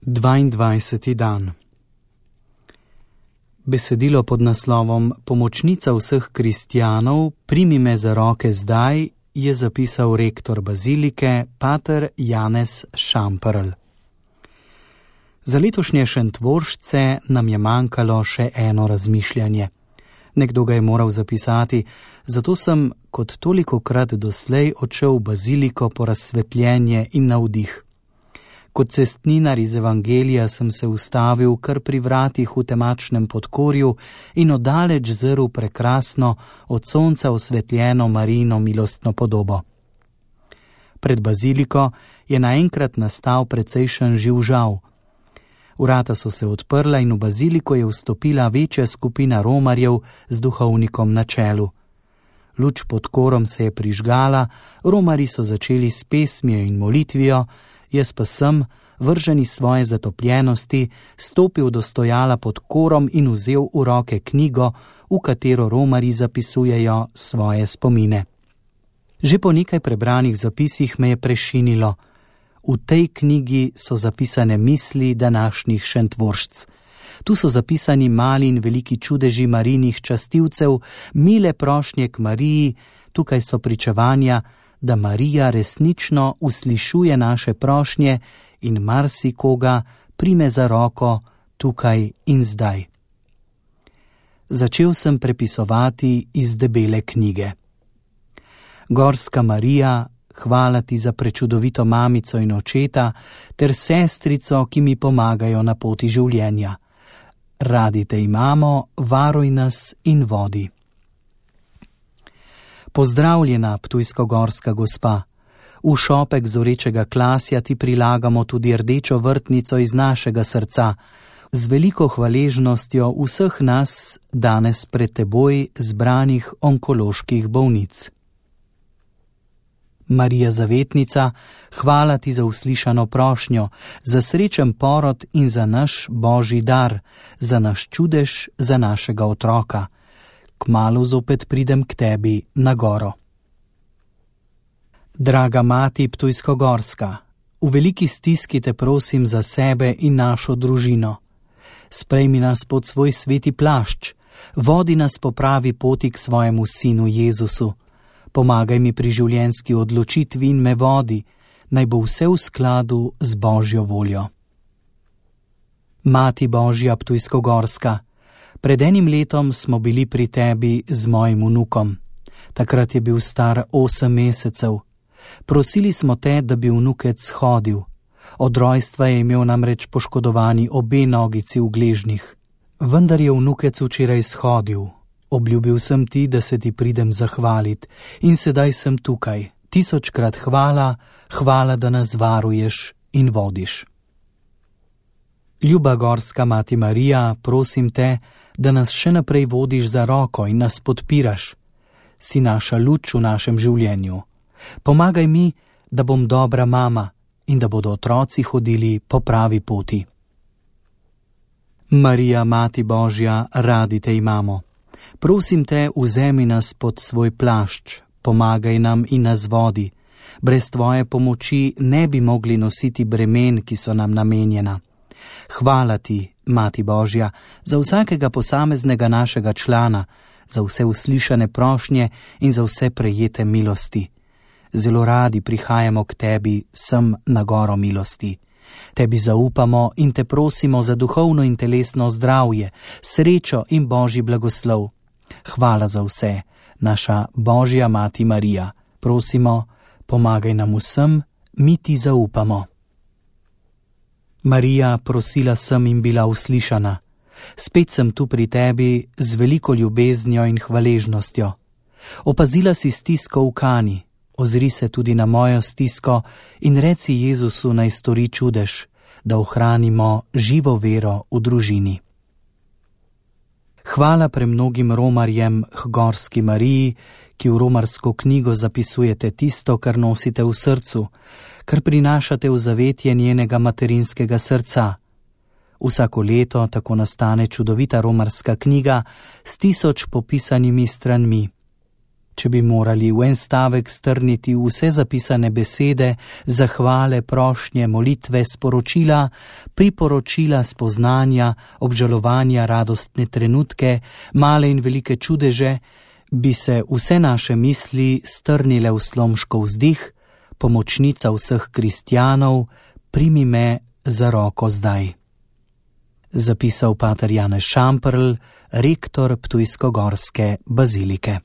22. dan. Besedilo pod naslovom Pomočnica vseh kristjanov, primi me za roke zdaj, je zapisal rektor bazilike, pater Janez Šamperl. Za letošnje Šentvoržce nam je manjkalo še eno razmišljanje. Nekdo ga je moral zapisati, zato sem, kot tolikokrat doslej, odšel v baziliko po razsvetljenje in navdih. Kot cestninar iz Evangelija sem se ustavil kar pri vratih v temačnem podkorju in oddaleč zrl prekrasno, od sonca osvetljeno Marijino milostno podobo. Pred baziliko je naenkrat nastal precejšen živžav. Vrata so se odprla in v baziliko je vstopila večja skupina romarjev z duhovnikom na čelu. Luč pod korom se je prižgala, romarji so začeli s pesmijo in molitvijo, jaz pa sem, vržen iz svoje zatopljenosti, stopil do stojala pod korom in vzel v roke knjigo, v katero romarji zapisujejo svoje spomine. Že po nekaj prebranih zapisih me je prešinilo. V tej knjigi so zapisane misli današnjih Šentvoržc. Tu so zapisani mali in veliki čudeži Marijinih častilcev, mile prošnje k Mariji, tukaj so pričevanja, da Marija resnično uslišuje naše prošnje in marsikoga prime za roko tukaj in zdaj. Začel sem prepisovati iz debele knjige. Gorska Marija, hvala ti za prečudovito mamico in očeta ter sestrico, ki mi pomagajo na poti življenja. Radi te imamo, varuj nas in vodi. Pozdravljena, ptujsko-gorska gospa. V šopek zorečega klasja ti prilagamo tudi rdečo vrtnico iz našega srca, z veliko hvaležnostjo vseh nas danes pred teboj zbranih onkoloških bolnic. Marija Zavetnica, hvala ti za uslišano prošnjo, za srečen porod in za naš božji dar, za naš čudež, za našega otroka. Kmalu zopet pridem k tebi na goro. Draga mati ptujsko-gorska, v veliki stiski te prosim za sebe in našo družino. Sprejmi nas pod svoj sveti plašč, vodi nas po pravi poti k svojemu sinu Jezusu. Pomagaj mi pri življenjski odločitvi in me vodi, naj bo vse v skladu z Božjo voljo. Mati Božja ptujsko-gorska, pred enim letom smo bili pri tebi z mojim vnukom. Takrat je bil star 8 mesecev. Prosili smo te, da bi vnukec hodil. Od rojstva je imel namreč poškodovani obe nogici v gležnjih. Vendar je vnukec včeraj shodil. Obljubil sem ti, da se ti pridem zahvalit in sedaj sem tukaj. 1000-krat hvala, hvala, da nas varuješ in vodiš. Ljuba gorska mati Marija, prosim te, da nas še naprej vodiš za roko in nas podpiraš. Si naša luč v našem življenju. Pomagaj mi, da bom dobra mama in da bodo otroci hodili po pravi poti. Marija, mati Božja, radi te imamo. Prosim te, vzemi nas pod svoj plašč, pomagaj nam in nas vodi. Brez tvoje pomoči ne bi mogli nositi bremen, ki so nam namenjena. Hvala ti, Mati Božja, za vsakega posameznega našega člana, za vse uslišane prošnje in za vse prejete milosti. Zelo radi prihajamo k tebi sem na goro milosti. Tebi zaupamo in te prosimo za duhovno in telesno zdravje, srečo in Božji blagoslov. Hvala za vse, naša Božja Mati Marija. Prosimo, pomagaj nam vsem, mi ti zaupamo. Marija, prosila sem in bila uslišana. Spet sem tu pri tebi z veliko ljubeznjo in hvaležnostjo. Opazila si stisko v Kani, ozri se tudi na mojo stisko in reci Jezusu naj stori čudež, da ohranimo živo vero v družini. Hvala premnogim romarjem k gorski Mariji, ki v romarsko knjigo zapisujete tisto, kar nosite v srcu, kar prinašate v zavetje njenega materinskega srca. Vsako leto tako nastane čudovita romarska knjiga s 1000 popisanimi stranmi. Če bi morali v en stavek strniti vse zapisane besede, zahvale, prošnje, molitve, sporočila, priporočila, spoznanja, obžalovanja, radostne trenutke, male in velike čudeže, bi se vse naše misli strnile v Slomškov vzdih: Pomočnica vseh kristjanov, primi me za roko zdaj. Zapisal pater Janez Šamperl, rektor ptujsko-gorske bazilike.